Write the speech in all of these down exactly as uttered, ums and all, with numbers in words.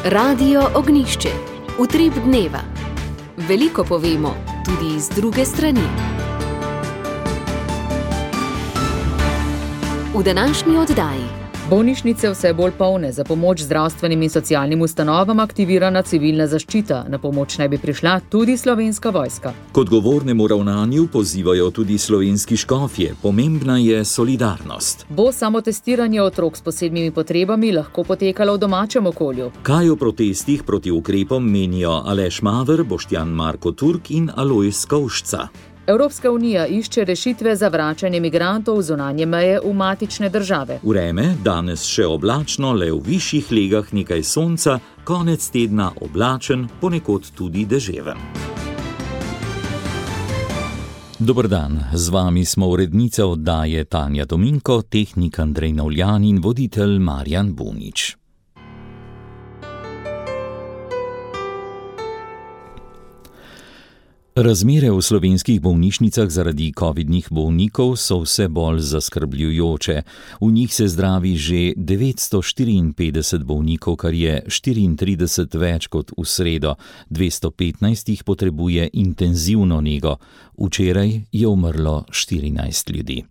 Radio Ognjišče. Utrip dneva. Veliko povemo, tudi iz druge strani. V današnji oddaji. Bolnišnice vse bolj polne, za pomoč zdravstvenim in socialnim ustanovam aktivirana civilna zaščita. Na pomoč naj bi prišla tudi Slovenska vojska. K odgovornemu ravnanju pozivajo tudi slovenski škofje. Pomembna je solidarnost. Bo samotestiranje otrok s posebnimi potrebami lahko potekalo v domačem okolju? Kaj o protestih proti ukrepom menijo Aleš Maver, Boštjan Marko Turk in Alojz Kovšca? Evropska unija išče rešitve za vračanje migrantov zunanje meje v matične države. Vreme danes še oblačno, le v višjih legah nekaj sonca, konec tedna oblačen, ponekod tudi deževen. Dober dan, z vami smo urednica oddaje Tanja Tominko, tehnik Andrej Navljan in voditelj Marjan Bunič. Razmere v slovenskih bolnišnicah zaradi covidnih bolnikov so vse bolj zaskrbljujoče. V njih se zdravi že devetsto štiriinpetdeset bolnikov, kar je štiriintrideset več kot v sredo. dvesto petnajst jih potrebuje intenzivno nego. Včeraj je umrlo štirinajst ljudi.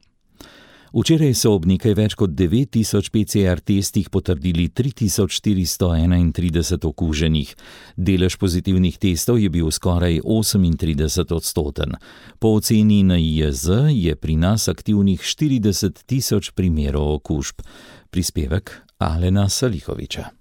Včeraj so ob nekaj več kot devet tisoč P C R testih potrdili tri tisoč štiristo enaintrideset okuženih. Delež pozitivnih testov je bil skoraj osemintrideset odstoten. Po oceni N I J Z je pri nas aktivnih štirideset tisoč primerov okužb. Prispevek Alena Salihoviča.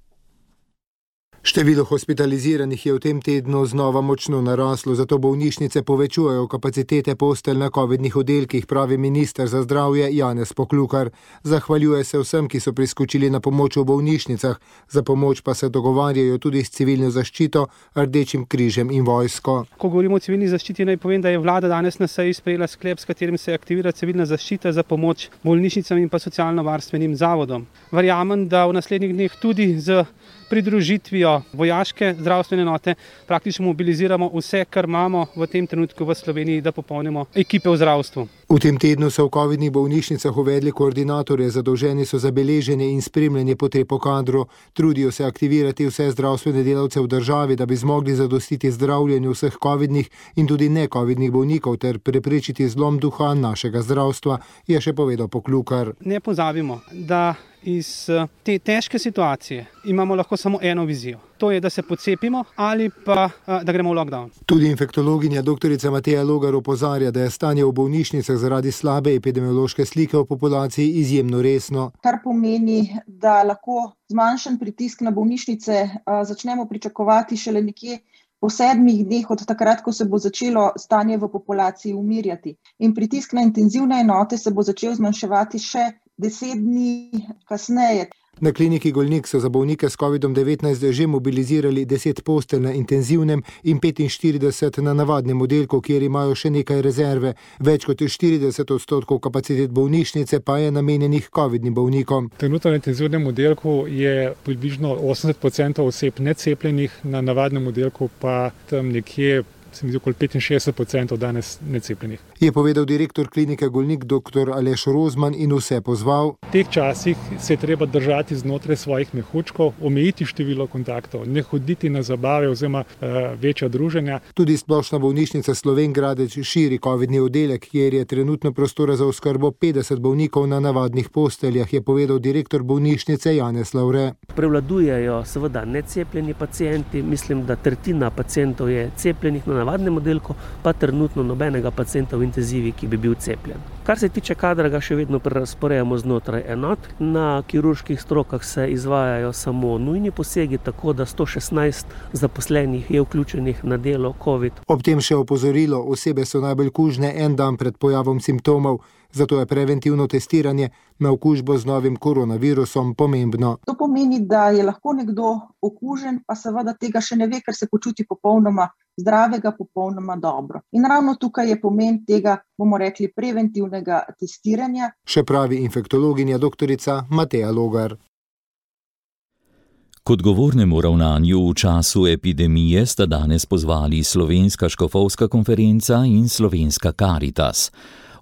Število hospitaliziranih je v tem tednu znova močno naraslo, zato bolnišnice povečujejo kapacitete postelj na covidnih oddelkih, pravi minister za zdravje Janez Poklukar. Zahvaljuje se vsem, ki so priskočili na pomoč v bolnišnicah, za pomoč pa se dogovarjajo tudi s civilno zaščito, Rdečim križem in vojsko. Ko govorimo o civilni zaščiti, naj povem, da je vlada danes na seji sprejela sklep, s katerim se aktivira civilna zaščita za pomoč bolnišnicam in pa socialno-varstvenim zavodom. Verjamem, da v naslednjih dneh tudi z pridružitvijo vojaške zdravstvene enote praktično mobiliziramo vse, kar imamo v tem trenutku v Sloveniji, da popolnimo ekipe v zdravstvu. V tem tednu so v covidnih bolnišnicah uvedli koordinatorje, zadolženi so za beleženje in spremljanje potreb po kadru. Trudijo se aktivirati vse zdravstvene delavce v državi, da bi zmogli zadostiti zdravljenju vseh covidnih in tudi ne-covidnih bolnikov ter preprečiti zlom duha našega zdravstva, je še povedal Poklukar. Ne pozabimo, da iz te težke situacije imamo lahko samo eno vizijo. To je, da se pocepimo ali pa da gremo v lockdown. Tudi infektologinja doktorica Mateja Logar opozarja, da je stanje v bolnišnicah zaradi slabe epidemiološke slike v populaciji izjemno resno. Kar pomeni, da lahko zmanjšan pritisk na bolnišnice začnemo pričakovati šele nekje po sedmih dneh od takrat, ko se bo začelo stanje v populaciji umirjati. In pritisk na intenzivne enote se bo začel zmanjševati še deset dni kasneje. Na kliniki Golnik so za bolnike s covidom devetnajst že mobilizirali deset postelj na intenzivnem in petinštirideset na navadnem oddelku, kjer imajo še nekaj rezerve. Več kot štirideset odstotkov kapacitet bolnišnice pa je namenjenih covidnim bolnikom. Trenutno na intenzivnem oddelku je približno osemdeset procentov oseb necepljenih, na navadnem oddelku pa tam nekje se mi zdi okoli petinšestdeset procentov danes necepljenih. Je povedal direktor klinike Golnik dr. Aleš Rozman in vse pozval. V teh časih se je treba držati znotraj svojih mehurčkov, omejiti število kontaktov, ne hoditi na zabave oziroma uh, večja druženja. Tudi splošna bolnišnica Slovenj Gradec širi covidni oddelek, kjer je trenutno prostora za oskrbo petdeset bolnikov na navadnih posteljah, je povedal direktor bolnišnice Janez Lavre. Prevladujejo seveda necepljeni pacienti, mislim, da tretjina pacientov je cepljenih na navadnem oddelku, pa trenutno nobenega pacienta v intenzivi, ki bi bil cepljen. Kar se tiče kadra, ga še vedno prerazporejamo znotraj enot. Na kirurških strokah se izvajajo samo nujni posegi, tako da sto šestnajst zaposlenih je vključenih na delo COVID. Ob tem še opozorilo, osebe so najbolj kužne en dan pred pojavom simptomov, zato je preventivno testiranje na okužbo z novim koronavirusom pomembno. To pomeni, da je lahko nekdo okužen, pa seveda tega še ne ve, ker se počuti popolnoma zdravega, popolnoma dobro. In ravno tukaj je pomen tega, bomo rekli, preventivnega testiranja. Še pravi infektologinja doktorica Mateja Logar. K odgovornemu ravnanju v času epidemije sta danes pozvali Slovenska škofovska konferenca in Slovenska Karitas.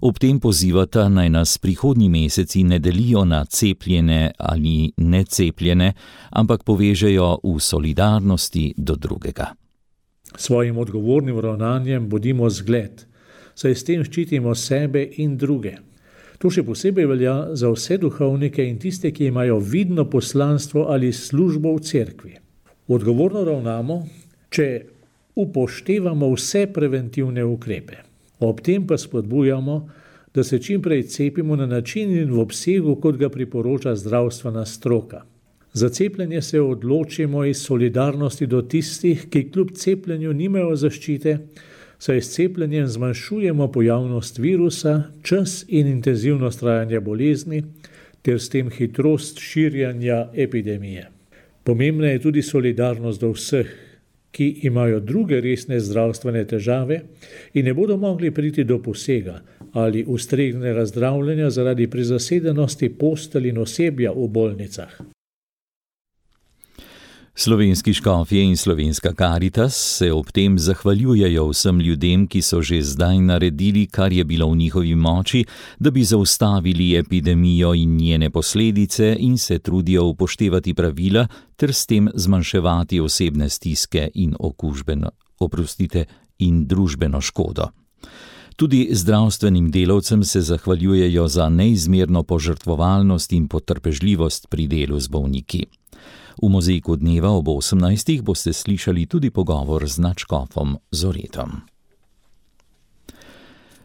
Ob tem pozivata, naj nas prihodnji meseci ne delijo na cepljene ali necepljene, ampak povežejo v solidarnosti do drugega. Svojim odgovornim ravnanjem bodimo zgled, saj s tem ščitimo sebe in druge. To še posebej velja za vse duhovnike in tiste, ki imajo vidno poslanstvo ali službo v cerkvi. Odgovorno ravnamo, če upoštevamo vse preventivne ukrepe. Ob tem pa spodbujamo, da se čim prej cepimo na način in v obsegu, kot ga priporoča zdravstvena stroka. Za cepljenje se odločimo iz solidarnosti do tistih, ki kljub cepljenju nimajo zaščite, saj s cepljenjem zmanjšujemo pojavnost virusa, čas in intenzivnost trajanja bolezni ter s tem hitrost širjanja epidemije. Pomembna je tudi solidarnost do vseh, ki imajo druge resne zdravstvene težave in ne bodo mogli priti do posega ali ustreznega zdravljenja zaradi prezasedenosti postelj in osebja v bolnicah. Slovenski škofje in Slovenska Karitas se ob tem zahvaljujejo vsem ljudem, ki so že zdaj naredili, kar je bilo v njihovi moči, da bi zaustavili epidemijo in njene posledice in se trudijo upoštevati pravila ter s tem zmanjševati osebne stiske in okužbeno, oprostite, in družbeno škodo. Tudi zdravstvenim delavcem se zahvaljujejo za neizmerno požrtvovalnost in potrpežljivost pri delu z bolniki. V mozaiku dneva ob osemnajstih boste slišali tudi pogovor z nadškofom Zoretom.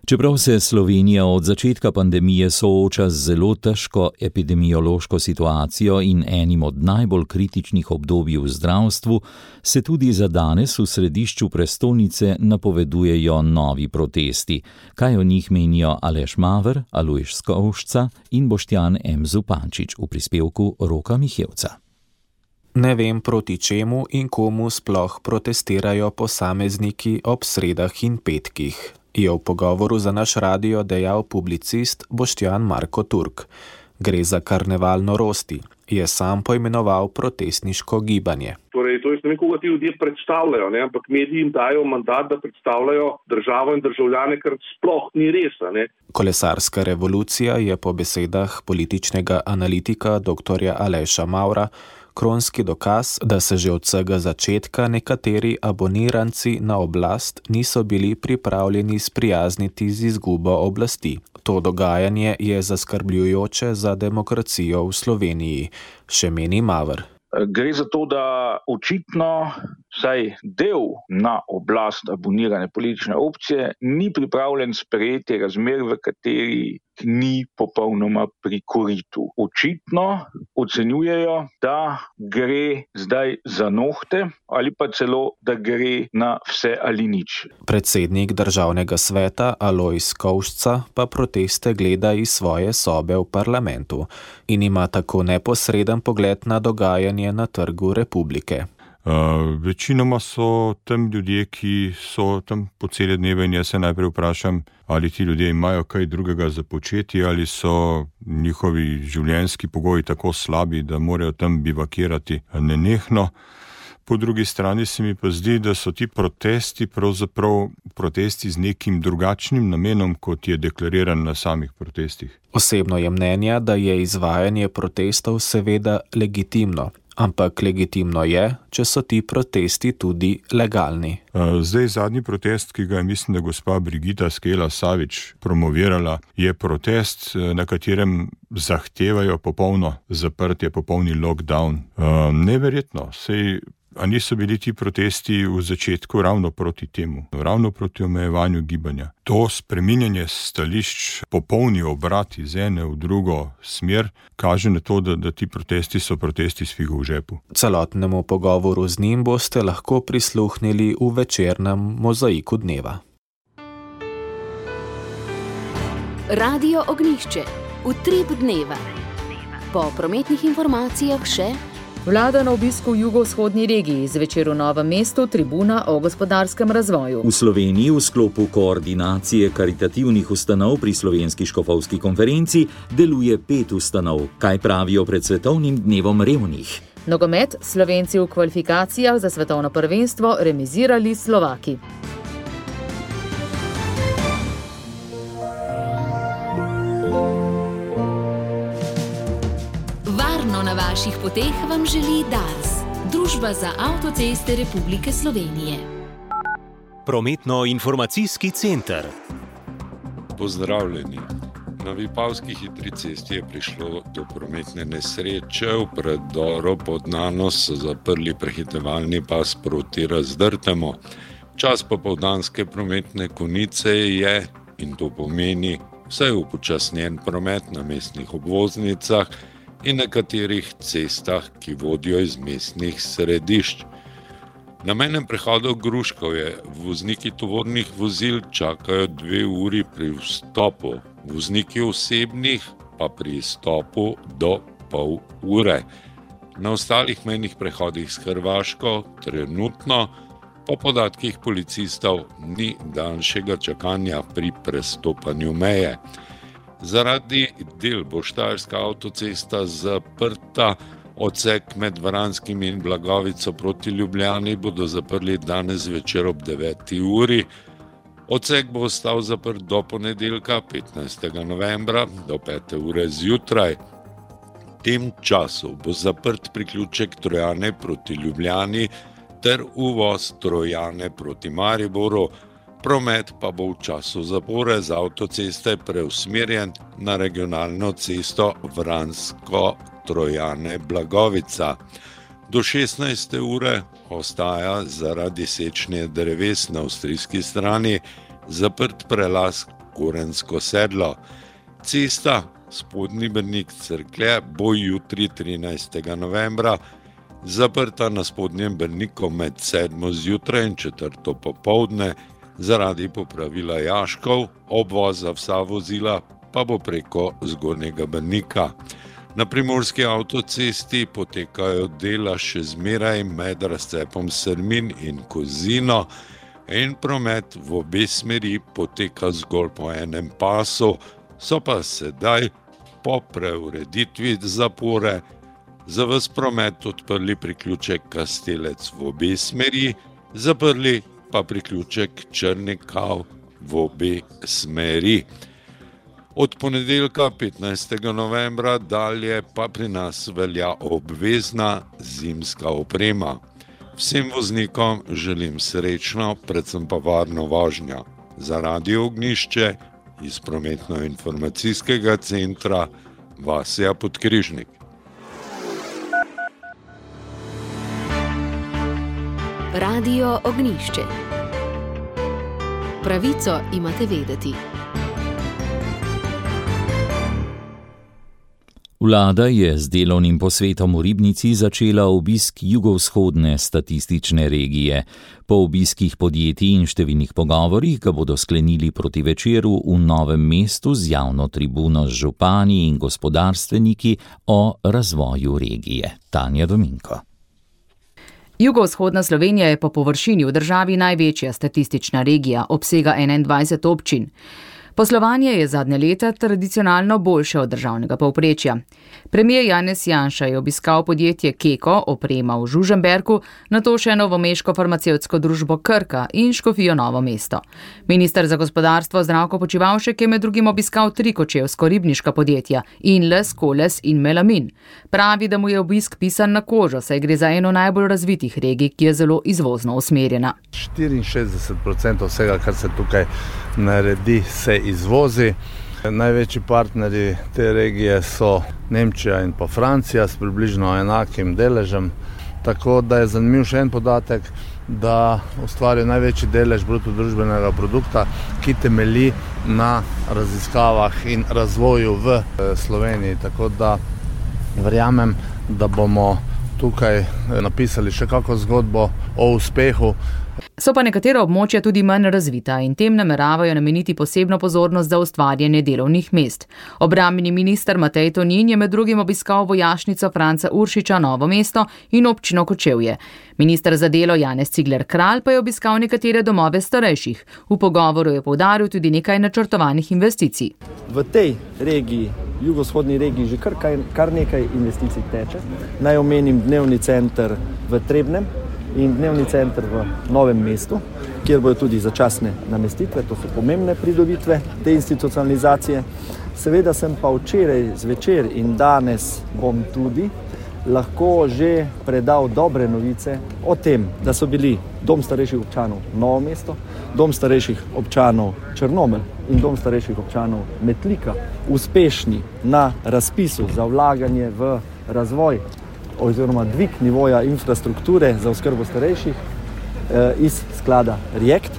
Čeprav se Slovenija od začetka pandemije sooča z zelo težko epidemiološko situacijo in enim od najbolj kritičnih obdobij v zdravstvu, se tudi za danes v središču prestolnice napovedujejo novi protesti. Kaj o njih menijo Aleš Maver, Alojž Skovšca in Boštjan M. Zupančič v prispevku Roka Mihevca. Ne vem, proti čemu in komu sploh protestirajo posamezniki ob sredah in petkih, je v pogovoru za naš radio dejal publicist Boštjan Marko Turk. Gre za karneval norosti, je sam poimenoval protestniško gibanje. Torej, to je ne koga ti ljudje predstavljajo, ne? Ampak mediji jim dajo mandat, da predstavljajo državo in državljane, kar sploh ni res. Ne? Kolesarska revolucija je po besedah političnega analitika doktorja Aleša Mavra kronski dokaz, da se že od vsega začetka nekateri aboniranci na oblast niso bili pripravljeni sprijazniti z izgubo oblasti. To dogajanje je zaskrbljujoče za demokracijo v Sloveniji, še meni Maver. Gre za to, da očitno vsaj del na oblast abonirane politične opcije ni pripravljen sprejeti razmer, v kateri ni popolnoma pri koritu. Očitno ocenjujejo, da gre zdaj za nohte ali pa celo, da gre na vse ali nič. Predsednik državnega sveta Alojž Skovšca pa proteste gleda iz svoje sobe v parlamentu in ima tako neposreden pogled na dogajanje na Trgu Republike. Uh, večinoma so tam ljudje, ki so tam po cele dneve in jaz se najprej vprašam, ali ti ljudje imajo kaj drugega za početi, ali so njihovi življenjski pogoji tako slabi, da morajo tam bivakirati nenehno. Po drugi strani se mi pa zdi, da so ti protesti pravzaprav protesti z nekim drugačnim namenom, kot je deklariran na samih protestih. Osebno je mnenja, da je izvajanje protestov seveda legitimno. Ampak legitimno je, če so ti protesti tudi legalni. Zdaj zadnji protest, ki ga je mislim, da gospa Brigita Skela Savič promovirala, je protest, na katerem zahtevajo popolno zaprtje, popolni lockdown. Neverjetno, sej a niso bili ti protesti v začetku ravno proti temu, ravno proti omejevanju gibanja. To spreminjanje stališč, popolni obrat iz ene v drugo smer, kaže na to, da, da ti protesti so protesti s figo v žepu. Celotnemu pogovoru z njim boste lahko prisluhnili v večernem mozaiku dneva. Radio Ognjišče, utrip dneva. Po prometnih informacijah še Vlada na obisku v jugovzhodni regiji, zvečer v Novem mestu tribuna o gospodarskem razvoju. V Sloveniji v sklopu koordinacije karitativnih ustanov pri Slovenski škofovski konferenci deluje pet ustanov. Kaj pravijo pred svetovnim dnevom revnih? Nogomet, Slovenci v kvalifikacijah za svetovno prvenstvo remizirali Slovaki. Varno na vaših poteh vam želi Dars, Družba za avtoceste Republike Slovenije. Prometno-informacijski center. Pozdravljeni. Na Vipavski hitri cesti je prišlo do prometne nesreče. V predoru pod Nanos so zaprli prehitevalni pas proti Razdrtemu. Čas popoldanske prometne konice je, in to pomeni, vsaj upočasnjen promet na mestnih obvoznicah in nekaterih cestah, ki vodijo iz mestnih središč. Na mejnem prehodu Gruškovje vozniki tovornih vozil čakajo dve uri pri vstopu, vozniki osebnih pa pri izstopu do pol ure. Na ostalih mejnih prehodih s Hrvaško trenutno po podatkih policistov ni daljšega čakanja pri prestopanju meje. Zaradi del bo Štajerska avtocesta zaprta, odsek med Vranskim in Blagovico proti Ljubljani bodo zaprli danes večer ob deveti uri. Odsek bo ostal zaprt do ponedeljka, petnajstega novembra, do pete ure zjutraj. V tem času bo zaprt priključek Trojane proti Ljubljani ter uvoz Trojane proti Mariboru. Promet pa bo v času zapore z avtoceste preusmerjen na regionalno cesto Vransko-Trojane-Blagovica. Do šestnajste ure ostaja zaradi sečnje dreves na avstrijski strani zaprt prelaz Gorensko sedlo. Cesta Spodnji Brnik-Cerklje bo jutri trinajstega novembra zaprta na Spodnjem Brniku med sedmo zjutraj in četrto popoldne zaradi popravila jaškov, obvoza vsa vozila pa bo preko Zgornjega Brnika. Na primorski avtocesti potekajo dela še zmeraj med razcepom Srmin in Kozino in promet v obe smeri poteka zgolj po enem pasu, so pa sedaj po preureditvi zapore za ves promet odprli priključek Kastelec v obe smeri, zaprli pa priključek Črnikav v obe smeri. Od ponedeljka petnajstega novembra dalje pa pri nas velja obvezna zimska oprema. Vsem voznikom želim srečno, predvsem pa varno vožnjo. Za Radio Ognjišče iz prometno-informacijskega centra Vasja Podkrižnik. Radio Ognjišče. Pravico imate vedeti. Vlada je z delovnim posvetom v Ribnici začela obisk jugovzhodne statistične regije. Po obiskih podjetij in številnih pogovorih ga bodo sklenili proti večeru v Novem mestu z javno tribuno z župani in gospodarstveniki o razvoju regije. Tanja Dominko. Jugovzhodna Slovenija je po površini v državi največja statistična regija, obsega enaindvajset občin. Poslovanje je zadnje leta tradicionalno boljše od državnega povprečja. Premier Janez Janša je obiskal podjetje Keko, oprema v Žužemberku, nato še novomeško farmacevtsko družbo Krka in Škofijo Novo mesto. Minister za gospodarstvo Zdravko Počivalšek je med drugim obiskal tri kočevsko-ribniška podjetja Inles, Koles in Melamin. Pravi, da mu je obisk pisan na kožo, saj gre za eno najbolj razvitih regij, ki je zelo izvozno usmerjena. štiriinšestdeset procentov vsega, kar se tukaj naredi, se izvozi. Največji partnerji te regije so Nemčija in pa Francija s približno enakim deležem. Tako da je zanimiv še en podatek, da ustvarjajo največji delež bruto družbenega produkta, ki temelji na raziskavah in razvoju v Sloveniji. Tako da verjamem, da bomo tukaj napisali še kako zgodbo o uspehu. So pa nekatera območja tudi manj razvita in tem nameravajo nameniti posebno pozornost za ustvarjanje delovnih mest. Obrambni minister Matej Tonin je med drugim obiskal vojašnico Franca Uršiča Novo mesto in občino Kočevje. Minister za delo Janez Cigler Kralj pa je obiskal nekatere domove starejših. V pogovoru je poudaril tudi nekaj načrtovanih investicij. V tej regiji, jugovzhodni regiji, že kar, kar nekaj investicij teče. Naj omenim dnevni center v Trebnem in dnevni center v Novem mestu, kjer bodo tudi začasne namestitve, to so pomembne pridobitve te institucionalizacije. Seveda sem pa včeraj zvečer in danes bom tudi lahko že predal dobre novice o tem, da so bili Dom starejših občanov Novo mesto, Dom starejših občanov Črnomelj in Dom starejših občanov Metlika uspešni na razpisu za vlaganje v razvoj oziroma dvig nivoja infrastrukture za oskrbo starejših eh, iz sklada React.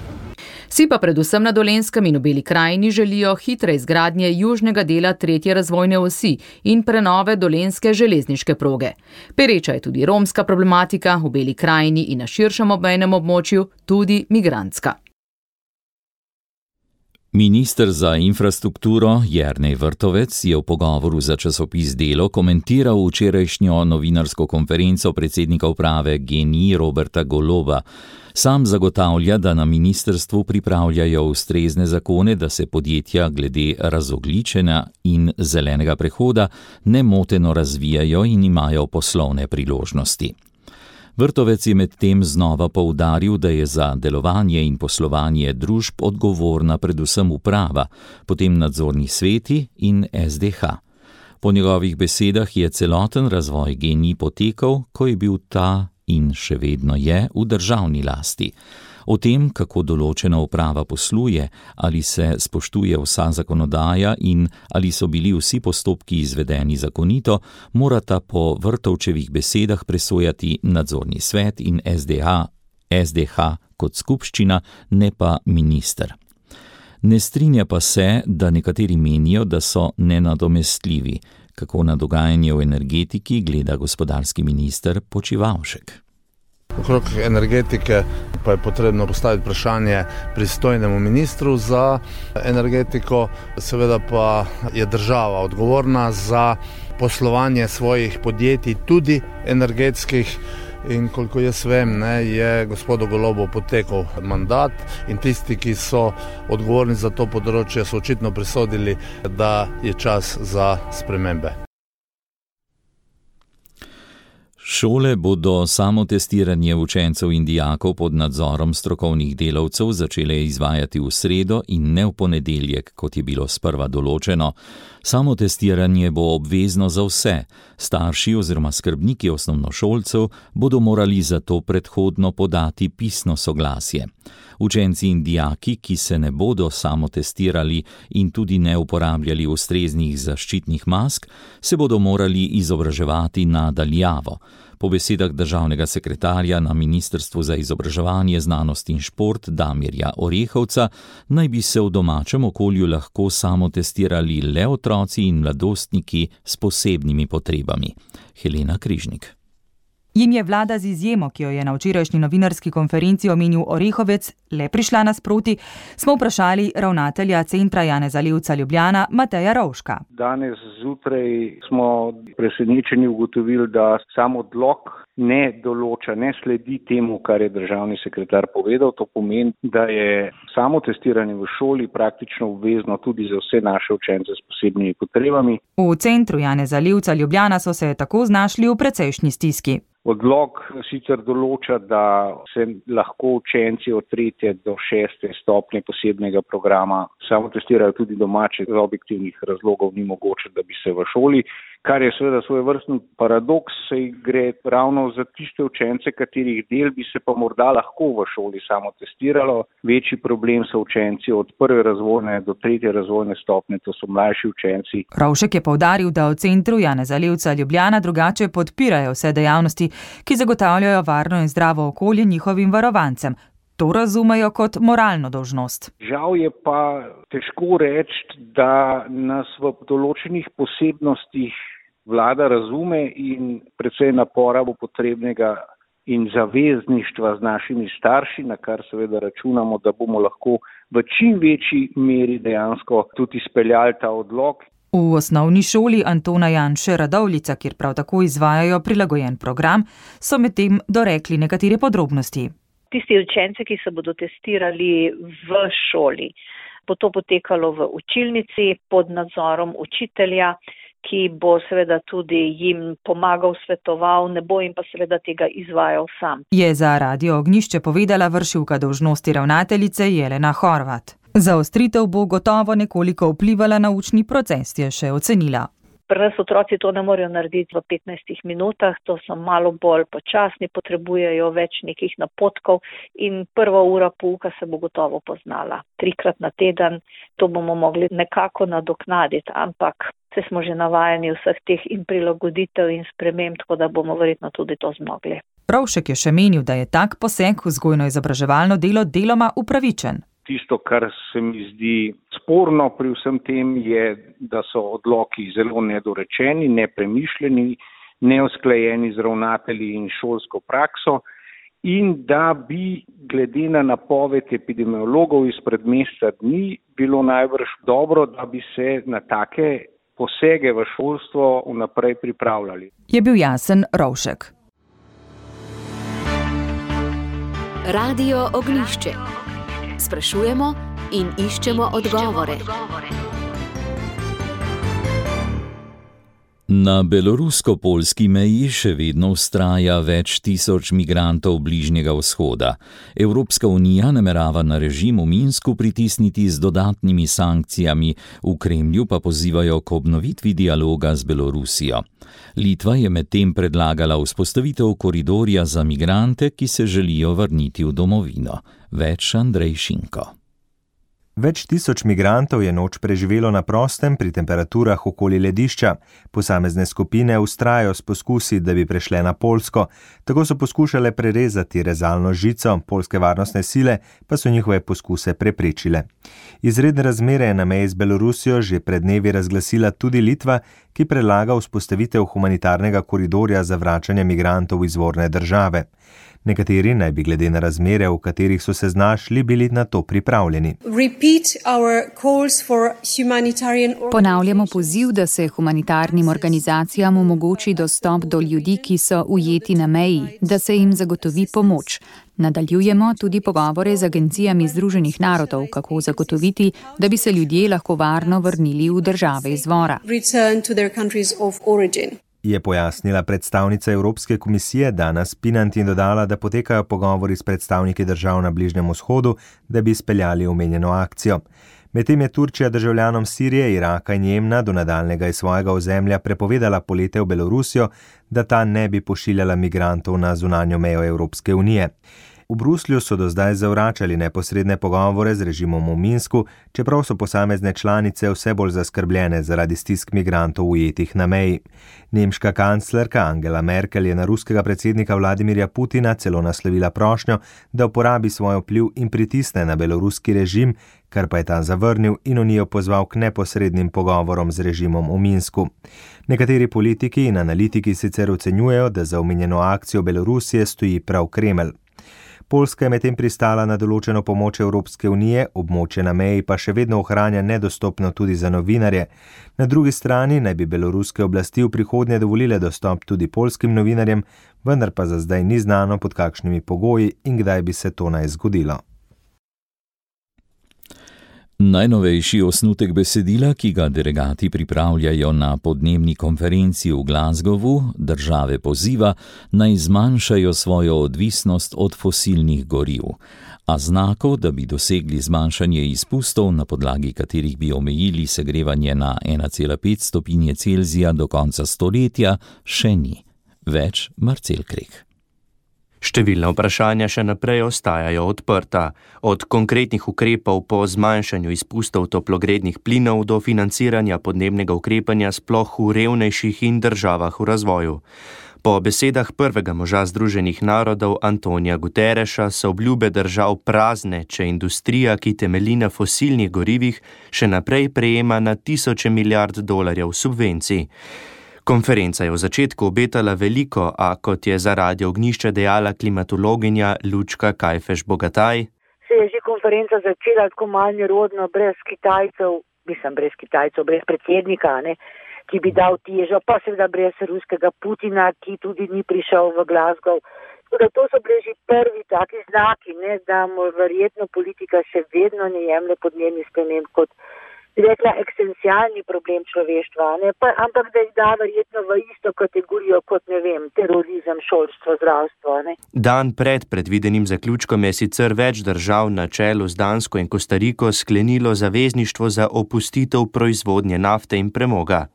Vsi pa predvsem na Dolenjskem in v Beli krajini želijo hitre izgradnje južnega dela tretje razvojne osi in prenove dolenjske železniške proge. Pereča je tudi romska problematika v Beli krajini in na širšem obmejnem območju, tudi migrantska. Minister za infrastrukturo Jernej Vrtovec je v pogovoru za časopis Delo komentiral včerajšnjo novinarsko konferenco predsednika uprave G N I Roberta Goloba. Sam zagotavlja, da na ministrstvu pripravljajo ustrezne zakone, da se podjetja glede razogljičenja in zelenega prehoda nemoteno razvijajo in imajo poslovne priložnosti. Vrtovec je medtem znova poudaril, da je za delovanje in poslovanje družb odgovorna predvsem uprava, potem nadzorni sveti in S D H. Po njegovih besedah je celoten razvoj G N I potekal, ko je bil ta in še vedno je v državni lasti. O tem, kako določena uprava posluje, ali se spoštuje vsa zakonodaja in ali so bili vsi postopki izvedeni zakonito, morata po Vrtovčevih besedah presojati nadzorni svet in S D H, S D H kot skupščina, ne pa minister. Ne strinja pa se, da nekateri menijo, da so nenadomestljivi. Kako na dogajanje v energetiki gleda gospodarski minister Počivalšek. Okrog energetike pa je potrebno postaviti vprašanje pristojnemu ministru za energetiko, seveda pa je država odgovorna za poslovanje svojih podjetij, tudi energetskih. In koliko jaz vem, ne, je gospodu Golobu potekal mandat in tisti, ki so odgovorni za to področje, so očitno presodili, da je čas za spremembe. Šole bodo samotestiranje učencev in dijakov pod nadzorom strokovnih delavcev začele izvajati v sredo in ne v ponedeljek, kot je bilo sprva določeno. Samotestiranje bo obvezno za vse. Starši oziroma skrbniki osnovnošolcev bodo morali za to predhodno podati pisno soglasje. Učenci in dijaki, ki se ne bodo samotestirali in tudi ne uporabljali ustreznih zaščitnih mask, se bodo morali izobraževati na daljavo. Po besedah državnega sekretarja na Ministrstvu za izobraževanje, znanost in šport Damirja Orehovca naj bi se v domačem okolju lahko samotestirali le otroci in mladostniki s posebnimi potrebami. Helena Križnik. Jim je vlada z izjemo, ki jo je na včerajšnji novinarski konferenci omenil Orehovec, le prišla nasproti, smo vprašali ravnatelja Centra Janeza Levca Ljubljana Mateja Rovška. Danes zjutraj smo presenečeni ugotovili, da sam odlok ne določa, ne sledi temu, kar je državni sekretar povedal. To pomeni, da je samo testiranje v šoli praktično obvezno tudi za vse naše učence s posebnimi potrebami. V Centru Janeza Levca Ljubljana so se tako znašli v precejšnji stiski. Odlok sicer določa, da se lahko učenci od tretje do šeste stopnje posebnega programa samotestirajo tudi domače, iz objektivnih razlogov ni mogoče, da bi se v šoli, kar je seveda svojevrsten paradoks, saj gre ravno za tiste učence, katerih del bi se pa morda lahko v šoli samotestiralo. Večji problem so učenci od prve razvojne do tretje razvojne stopnje, to so mlajši učenci. Rovšek je poudaril, da v Centru Janeza Levca Ljubljana drugače podpirajo vse dejavnosti, ki zagotavljajo varno in zdravo okolje njihovim varovancem. To razumejo kot moralno dolžnost. Žal je pa težko reči, da nas v določenih posebnostih vlada razume in predvsej napora bo potrebnega in zavezništva z našimi starši, na kar seveda računamo, da bomo lahko v čim večji meri dejansko tudi izpeljali ta odlok. V osnovni šoli Antona Janše Radovljica, kjer prav tako izvajajo prilagojen program, so medtem dorekli nekatere podrobnosti. Tisti učenci, ki se bodo testirali v šoli, bo to potekalo v učilnici pod nadzorom učitelja, ki bo seveda tudi jim pomagal, svetoval, ne bo jim pa seveda tega izvajal sam. Je za Radio Ognjišče povedala vršilka dolžnosti ravnateljice Jelena Horvat. Zaostritev bo gotovo nekoliko vplivala na učni proces, je še ocenila. Pri nas otroci to ne morejo narediti v petnajstih minutah, to so malo bolj počasni, potrebujejo več nekih napotkov in prva ura pouka se bo gotovo poznala. Trikrat na teden to bomo mogli nekako nadoknaditi, ampak se smo že navajeni vseh teh in prilagoditev in sprememb, tako da bomo verjetno tudi to zmogli. Rovšek je še menil, da je tak poseg v vzgojno-izobraževalno delo deloma upravičen. Tisto, kar se mi zdi sporno pri vsem tem, je, da so odloki zelo nedorečeni, nepremišljeni, neusklajeni z ravnatelji in šolsko prakso in da bi glede na napoved epidemiologov izpred meseca dni bilo najbrž dobro, da bi se na take posege v šolstvo vnaprej pripravljali. Je bil jasen Rovšek. Radio Ognjišče. Sprašujemo in iščemo odgovore. Na belorusko-poljski meji še vedno vztraja več tisoč migrantov Bližnjega vzhoda. Evropska unija namerava na režim v Minsku pritisniti z dodatnimi sankcijami, v Kremlju pa pozivajo k obnovitvi dialoga z Belorusijo. Litva je medtem predlagala vzpostavitev koridorja za migrante, ki se želijo vrniti v domovino. Več Andrej Šinko. Več tisoč migrantov je noč preživelo na prostem pri temperaturah okoli ledišča. Posamezne skupine vztrajajo s poskusi, da bi prešle na Poljsko. Tako so poskušale prerezati rezalno žico, poljske varnostne sile pa so njihove poskuse preprečile. Izredne razmere je na meji z Belorusijo že pred dnevi razglasila tudi Litva, ki predlaga vzpostavitev humanitarnega koridorja za vračanje migrantov v izvorne države. Nekateri naj bi glede na razmere, v katerih so se znašli, bili na to pripravljeni. Ponavljamo poziv, da se humanitarnim organizacijam omogoči dostop do ljudi, ki so ujeti na meji, da se jim zagotovi pomoč. Nadaljujemo tudi pogovore z agencijami Združenih narodov, kako zagotoviti, da bi se ljudje lahko varno vrnili v države izvora. Je pojasnila predstavnica Evropske komisije Dana Spinant in dodala, da potekajo pogovori s predstavniki držav na Bližnjem vzhodu, da bi izpeljali omenjeno akcijo. Medtem je Turčija državljanom Sirije, Iraka in Jemna do nadaljnjega iz svojega ozemlja prepovedala polete v Belorusijo, da ta ne bi pošiljala migrantov na zunanjo mejo Evropske unije. V Bruslju so do zdaj zavračali neposredne pogovore z režimom v Minsku, čeprav so posamezne članice vse bolj zaskrbljene zaradi stisk migrantov ujetih na meji. Nemška kanclerka Angela Merkel je na ruskega predsednika Vladimirja Putina celo naslovila prošnjo, da uporabi svoj vpliv in pritisne na beloruski režim, kar pa je ta zavrnil in Unijo pozval k neposrednim pogovorom z režimom v Minsku. Nekateri politiki in analitiki sicer ocenjujejo, da za omenjeno akcijo Belorusije stoji prav Kremelj. Poljska je medtem pristala na določeno pomoč Evropske unije, območje na meji pa še vedno ohranja nedostopno tudi za novinarje. Na drugi strani naj bi beloruske oblasti v prihodnje dovolile dostop tudi poljskim novinarjem, vendar pa za zdaj ni znano, pod kakšnimi pogoji in kdaj bi se to naj zgodilo. Najnovejši osnutek besedila, ki ga delegati pripravljajo na podnebni konferenci v Glasgowu, države poziva, naj zmanjšajo svojo odvisnost od fosilnih goriv. A znakov, da bi dosegli zmanjšanje izpustov, na podlagi katerih bi omejili segrevanje na ena cela pet stopinje Celzija do konca stoletja, še ni. Več Marcel Krek. Številna vprašanja še naprej ostajajo odprta, od konkretnih ukrepov po zmanjšanju izpustov toplogrednih plinov do financiranja podnebnega ukrepanja sploh v revnejših in državah v razvoju. Po besedah prvega moža Združenih narodov Antonija Guterreša so obljube držav prazne, če industrija, ki temelji na fosilnih gorivih, še naprej prejema na tisoče milijard dolarjev subvencij. Konferenca je v začetku obetala veliko, a kot je za Radio Ognjišče dejala klimatologinja Lučka Kajfeš-Bogataj, se je že konferenca začela tako malo nerodno, brez Kitajcev, mislim brez Kitajcev, brez predsednika, ne, ki bi dal težo, pa seveda brez ruskega Putina, ki tudi ni prišel v Glasgow. Tako da to so bili že prvi taki znaki, ne, da mu verjetno politika še vedno ne jemlje podnebnih sprememb kot rekla, eksistencialni problem človeštva, ne? Pa, ampak da jih da verjetno v isto kategorijo kot, ne vem, terorizem, šolstvo, zdravstvo. Ne? Dan pred predvidenim zaključkom je sicer več držav na čelu z Dansko in Kostariko sklenilo zavezništvo za opustitev proizvodnje nafte in premoga.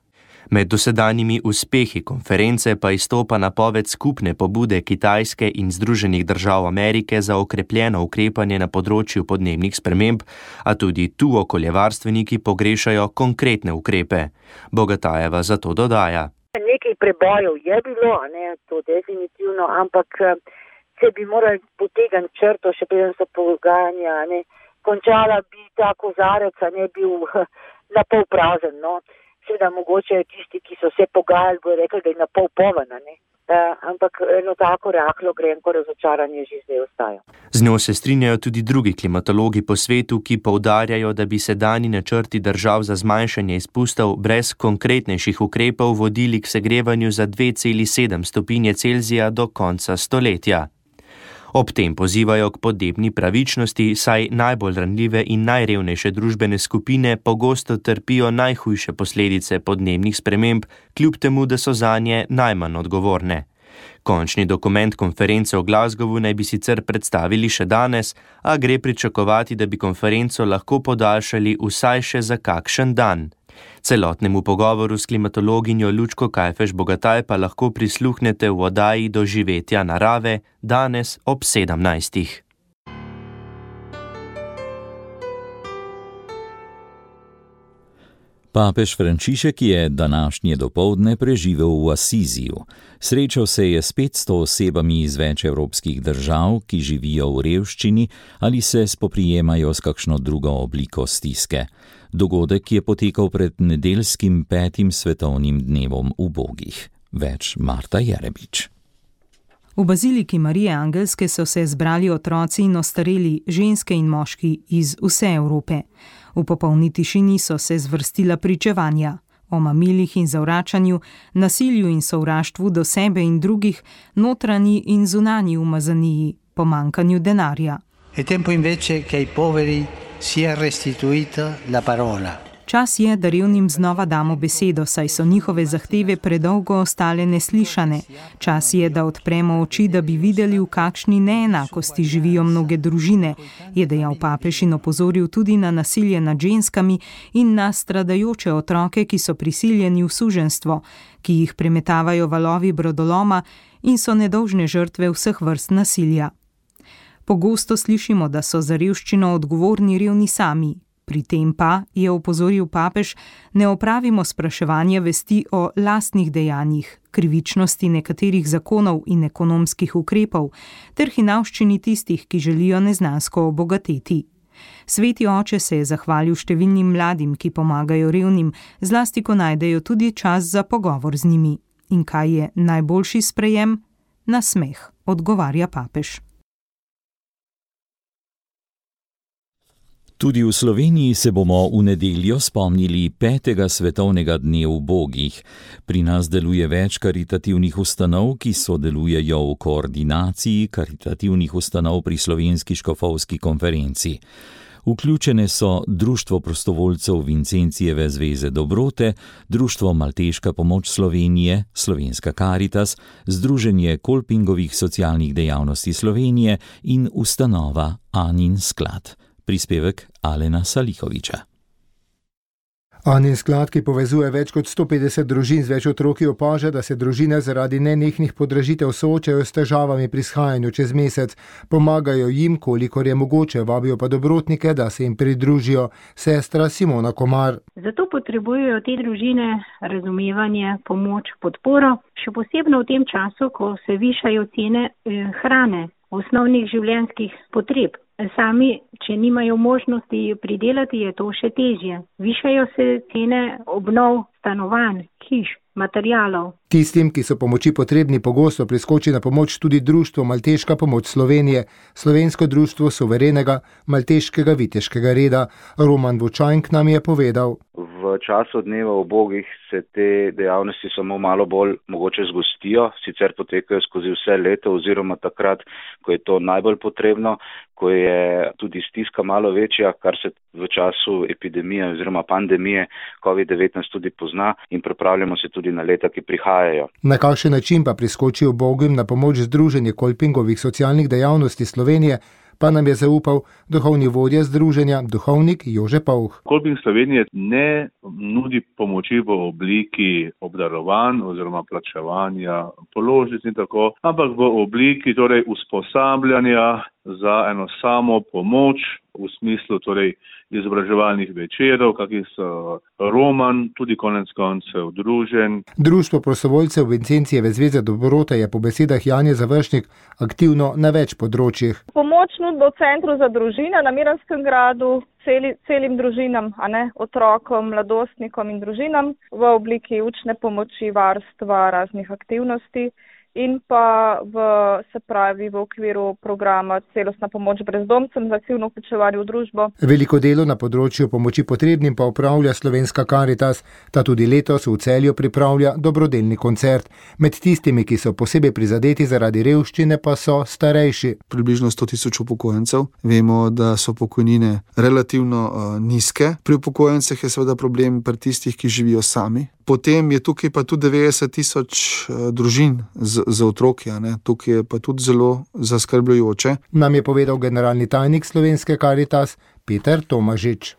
Med dosedanjimi uspehi konference pa izstopa napoved skupne pobude Kitajske in Združenih držav Amerike za okrepljeno ukrepanje na področju podnebnih sprememb, a tudi tu okoljevarstveniki pogrešajo konkretne ukrepe. Bogatajeva zato dodaja. Nekaj prebojev je bilo, ne, to definitivno, ampak se bi morali potegniti črto, še preden so pogajanja, ne, končala bi ta kozarec, a ne bil na pol prazen, no. Seveda mogoče tisti, ki so se pogajali, bojo rekli, da je na pol povana, ne. Uh, ampak eno tako rahlo grenko razočaranje že zdaj ostaja. Z njo se strinjajo tudi drugi klimatologi po svetu, ki poudarjajo, da bi sedanji načrti držav za zmanjšanje izpustov brez konkretnejših ukrepov vodili k segrevanju za dve celi sedem stopinje Celzija do konca stoletja. Ob tem pozivajo k podnebni pravičnosti, saj najbolj ranljive in najrevnejše družbene skupine pogosto trpijo najhujše posledice podnebnih sprememb, kljub temu, da so zanje najmanj odgovorne. Končni dokument konference v Glasgowu naj bi sicer predstavili še danes, a gre pričakovati, da bi konferenco lahko podaljšali vsaj še za kakšen dan. Celotnemu pogovoru s klimatologinjo Lučko Kajfež Bogataj pa lahko prisluhnete v oddaji Doživetja narave danes ob sedemnajstih. Papež Frančišek je današnje dopoldne preživel v Asiziju. Srečal se je s petsto osebami iz več evropskih držav, ki živijo v revščini ali se spoprijemajo s kakšno drugo obliko stiske. Dogodek je potekal pred nedeljskim petim svetovnim dnevom ubogih. Več Marta Jerebič. V baziliki Marije Angelske so se zbrali otroci in ostareli, ženske in moški iz vse Evrope. V popolni tišini so se zvrstila pričevanja o mamilih in zavračanju, nasilju in sovraštvu do sebe in drugih, notranji in zunanji umazaniji, pomankanju denarja. È tempo invece che ai poveri sia restituita la parola. Čas je, da revnim znova damo besedo, saj so njihove zahteve predolgo ostale neslišane. Čas je, da odpremo oči, da bi videli, v kakšni neenakosti živijo mnoge družine, je dejal papež in opozoril tudi na nasilje nad ženskami in na stradajoče otroke, ki so prisiljeni v suženjstvo, ki jih premetavajo valovi brodoloma in so nedolžne žrtve vseh vrst nasilja. Pogosto slišimo, da so za revščino odgovorni revni sami. Pri tem pa, je opozoril papež, ne opravimo spraševanja vesti o lastnih dejanjih, krivičnosti nekaterih zakonov in ekonomskih ukrepov, ter hinavščini tistih, ki želijo neznansko obogateti. Sveti oče se je zahvalil številnim mladim, ki pomagajo revnim, zlasti ko najdejo tudi čas za pogovor z njimi. In kaj je najboljši sprejem? Nasmeh, odgovarja papež. Tudi v Sloveniji se bomo v nedeljo spomnili petega svetovnega dne ubogih. Pri nas deluje več karitativnih ustanov, ki sodelujejo v koordinaciji karitativnih ustanov pri Slovenski škofovski konferenci. Vključene so Društvo prostovoljcev Vincencijeve zveze dobrote, Društvo Malteška pomoč Slovenije, Slovenska Karitas, Združenje Kolpingovih socialnih dejavnosti Slovenije in ustanova Anin sklad. Prispevek Alena Salihoviča. Anin sklad, ki povezuje več kot sto petdeset družin z več otroki, opaža, da se družine zaradi nenehnih podražitev soočajo s težavami pri shajanju čez mesec. Pomagajo jim, kolikor je mogoče, vabijo pa dobrotnike, da se jim pridružijo. Sestra Simona Komar. Zato potrebujejo te družine razumevanje, pomoč, podporo, še posebno v tem času, ko se višajo cene hrane, osnovnih življenjskih potreb. Sami, če nimajo možnosti pridelati, je to še težje. Višajo se cene obnov stanovanj, hiš. materialov. Tistim, ki so pomoči potrebni, pogosto priskoči na pomoč tudi Društvo Malteška pomoč Slovenije, Slovensko društvo suverenega malteškega viteškega reda. Roman Vučank nam je povedal. V času dneva ubogih se te dejavnosti samo malo bolj mogoče zgostijo, sicer potekajo skozi vse leto oziroma takrat, ko je to najbolj potrebno, ko je tudi stiska malo večja, kar se v času epidemije oziroma pandemije covid devetnajst tudi pozna, in pripravljamo se tudi na leta, ki prihajajo. Na kakšen način pa priskoči ubogim na pomoč Združenje Kolpingovih socialnih dejavnosti Slovenije, pa nam je zaupal duhovni vodja združenja, duhovnik Jože Pavh. Kolping Slovenije ne nudi pomoči v obliki obdarovanj oziroma plačevanja položnic in tako, ampak v obliki torej usposabljanja za eno samo pomoč v smislu torej izobraževalnih večerov, kakih so roman, tudi konec koncev družen. Društvo prostovoljcev Vincencijeve zveze Dobrota je po besedah Janje Završnik aktivno na več področjih. Pomoč nudbo v centru za družine na Miranskem gradu celi, celim družinam, a ne otrokom, mladostnikom in družinam v obliki učne pomoči, varstva, raznih aktivnosti. In pa v, se pravi, v okviru programa Celostna pomoč brezdomcem za aktivno vključevanje v družbo. Veliko delo na področju pomoči potrebnim pa upravlja Slovenska Karitas, ta tudi letos v Celju pripravlja dobrodelni koncert. Med tistimi, ki so posebej prizadeti zaradi revščine, pa so starejši. Približno sto tisoč upokojencev. Vemo, da so pokojnine relativno uh, nizke. Pri upokojencih je seveda problem pri tistih, ki živijo sami. Potem je tukaj pa tudi devetdeset tisoč uh, družin z, z otroki, ne? Tukaj je pa tudi zelo zaskrbljujoče. Nam je povedal generalni tajnik Slovenske Karitas Peter Tomažič.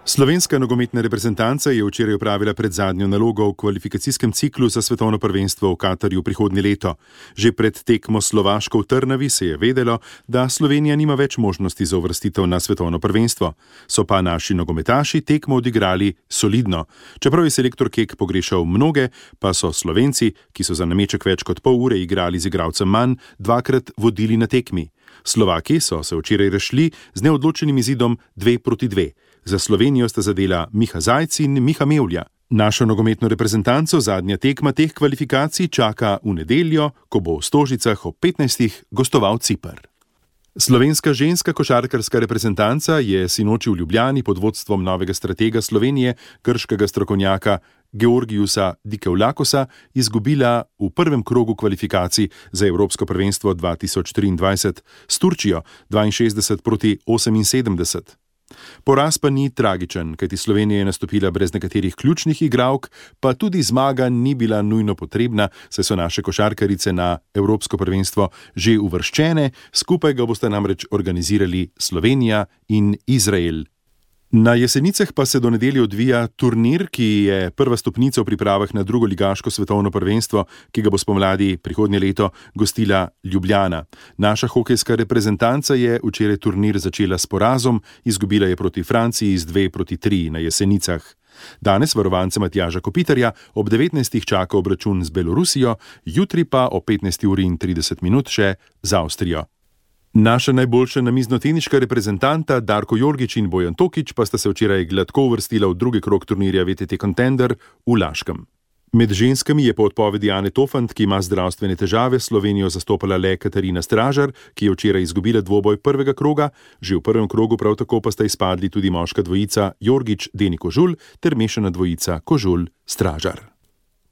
Slovenska nogometna reprezentanca je včeraj opravila predzadnjo nalogo v kvalifikacijskem ciklu za svetovno prvenstvo v Katarju prihodnje leto. Že pred tekmo Slovaško v Trnavi se je vedelo, da Slovenija nima več možnosti za uvrstitev na svetovno prvenstvo. So pa naši nogometaši tekmo odigrali solidno. Čeprav je selektor Kek pogrešal mnoge, pa so Slovenci, ki so za nameček več kot pol ure igrali z igralcem manj, dvakrat vodili na tekmi. Slovaki so se včeraj rešili z neodločenim izidom dve proti dve. Za Slovenijo sta zadela Miha Zajc in Miha Mevlja. Našo nogometno reprezentanco zadnja tekma teh kvalifikacij čaka v nedeljo, ko bo v Stožicah ob petnajstih gostoval Ciper. Slovenska ženska košarkarska reprezentanca je sinoči v Ljubljani pod vodstvom novega stratega Slovenije, grškega strokovnjaka Georgiusa Dikevlakosa, izgubila v prvem krogu kvalifikacij za Evropsko prvenstvo dva tisoč triindvajset s Turčijo dvainšestdeset proti oseminsedemdeset. Poraz pa ni tragičen, kajti Slovenija je nastopila brez nekaterih ključnih igralk, pa tudi zmaga ni bila nujno potrebna, saj so naše košarkarice na Evropsko prvenstvo že uvrščene, skupaj ga boste namreč organizirali Slovenija in Izrael. Na Jesenicah pa se do nedelje odvija turnir, ki je prva stopnica v pripravah na drugo ligaško svetovno prvenstvo, ki ga bo spomladi prihodnje leto gostila Ljubljana. Naša hokejska reprezentanca je včeraj turnir začela s porazom, izgubila je proti Franciji z dve proti tri na Jesenicah. Danes varovance Matjaža Kopitarja ob devetnajstih čaka obračun z Belorusijo, jutri pa ob petnajsti uri in trideset minut še z Avstrijo. Naša najboljša namiznoteniška reprezentanta Darko Jorgič in Bojan Tokič pa sta se včeraj gladko uvrstila v drugi krog turnirja V T T Contender v Laškem. Med ženskami je po odpovedi Ane Tofant, ki ima zdravstvene težave, Slovenijo zastopala le Katarina Stražar, ki je včeraj izgubila dvoboj prvega kroga, že v prvem krogu prav tako pa sta izpadli tudi moška dvojica Jorgič-Deni Kožul ter mešana dvojica Kožul-Stražar.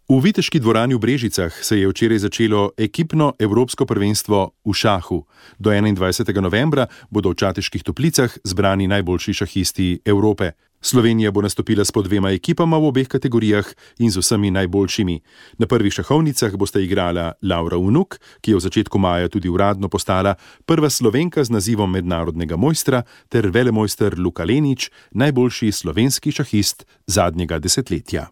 V Viteški dvorani v Brežicah se je včeraj začelo ekipno evropsko prvenstvo v šahu. Do enaindvajsetega novembra bodo v Čateških Toplicah zbrani najboljši šahisti Evrope. Slovenija bo nastopila s po dvema ekipama v obeh kategorijah in z vsemi najboljšimi. Na prvih šahovnicah bosta igrala Laura Unuk, ki je v začetku maja tudi uradno postala prva Slovenka z nazivom mednarodnega mojstra, ter velemojster Luka Lenič, najboljši slovenski šahist zadnjega desetletja.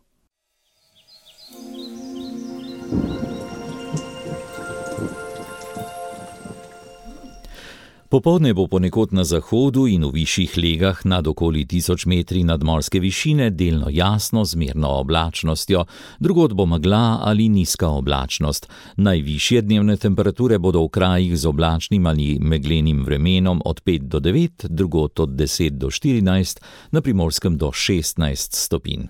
Popoldne bo ponekod na zahodu in v višjih legah nad okoli tisoč metri nadmorske višine delno jasno z zmerno oblačnostjo, drugod bo megla ali nizka oblačnost. Najvišje dnevne temperature bodo v krajih z oblačnim ali meglenim vremenom od pet do devet, drugod od deset do štirinajst, na Primorskem do šestnajst stopinj.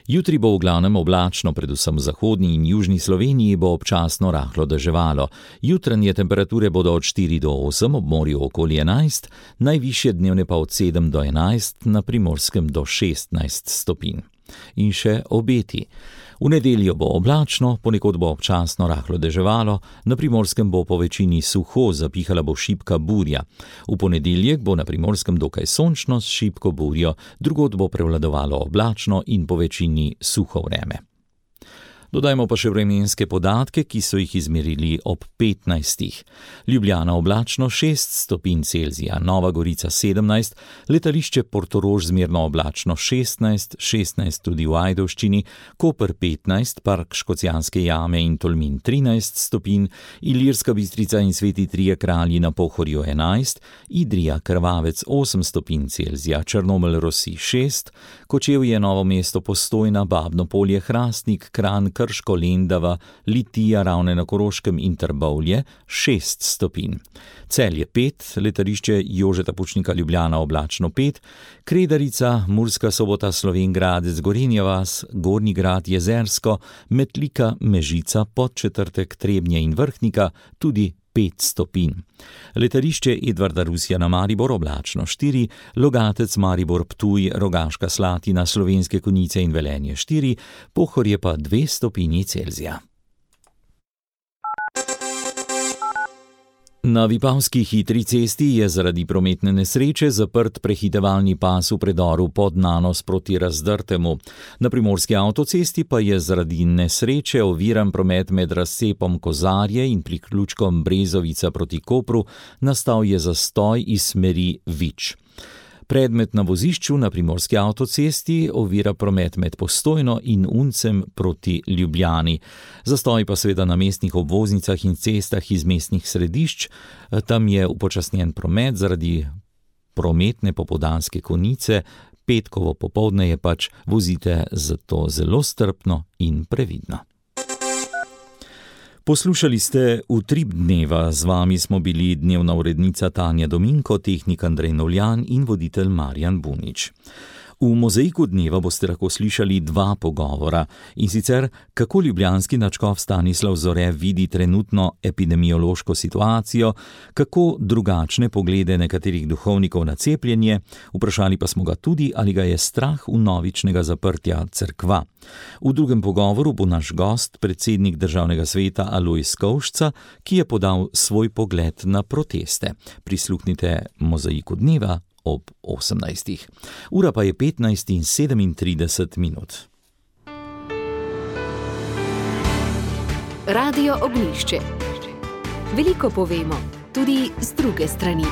Jutri bo v glavnem oblačno, predvsem v zahodni in južni Sloveniji bo občasno rahlo deževalo. Jutranje temperature bodo od štiri do osem, ob morju okoli enajst, najvišje dnevne pa od sedem do enajst, na Primorskem do šestnajst stopinj. In še obeti. V nedeljo bo oblačno, ponekod bo občasno rahlo deževalo, na Primorskem bo po večini suho, zapihala bo šibka burja. V ponedeljek bo na Primorskem dokaj sončno s šibko burjo, drugod bo prevladovalo oblačno in po večini suho vreme. Dodajmo pa še vremenske podatke, ki so jih izmerili ob petnajstih. Ljubljana oblačno šest stopinj Celzija, Nova Gorica sedemnajst, letališče Portorož zmerno oblačno šestnajst, šestnajst tudi v Ajdovščini, Koper petnajst, Park Škocjanske jame in Tolmin trinajst stopinj, Ilirska Bistrica in Sveti Trije kralji na Pohorju enajst, Idrija Krvavec osem stopinj Celzija, Črnomelj Rosi šest, Kočevje Novo mesto Postojna, Babno Polje Hrastnik, Kranj Krško, Lendava, Litija, Ravne na Koroškem in Trbovlje šest stopinj. Celje pet, letališče Jožeta Pučnika Ljubljana oblačno pet, Kredarica, Murska Sobota, Slovenj Gradec, Gorenja vas, Gornji Grad, Jezersko, Metlika, Mežica, Podčetrtek, Trebnje in Vrhnika tudi pet stopinj. Letališče Edvarda Rusjana Maribor oblačno štiri, Logatec Maribor Ptuj, Rogaška Slatina, Slovenske Konjice in Velenje štiri, Pohorje pa dve stopinji Celzija. Na Vipavski hitri cesti je zaradi prometne nesreče zaprt prehitevalni pas v predoru Podnanos proti Razdrtemu. Na Primorski avtocesti pa je zaradi nesreče oviran promet med razcepom Kozarje in priključkom Brezovica proti Kopru, nastal je zastoj iz smeri Vič. Predmet na vozišču na Primorski avtocesti ovira promet med Postojno in Uncem proti Ljubljani. Zastoj pa seveda na mestnih obvoznicah in cestah iz mestnih središč. Tam je upočasnjen promet zaradi prometne popoldanske konice. Petkovo popoldne je pač, vozite zato zelo strpno in previdno. Poslušali ste Utrip dneva, z vami smo bili dnevna urednica Tanja Dominko, tehnik Andrej Novljan in voditelj Marjan Bunič. V Mozaiku dneva boste lahko slišali dva pogovora, in sicer kako ljubljanski nadškof Stanislav Zore vidi trenutno epidemiološko situacijo, kako drugačne poglede nekaterih duhovnikov na cepljenje, vprašali pa smo ga tudi, ali ga je strah vnovičnega zaprtja cerkva. V drugem pogovoru bo naš gost, predsednik državnega sveta Alojz Kovšca, ki je podal svoj pogled na proteste. Prisluhnite Mozaiku dneva ob osemnajstih. Ura pa je petnajst in sedemintrideset minut. Radio Ognjišče. Veliko povemo, tudi z druge strani.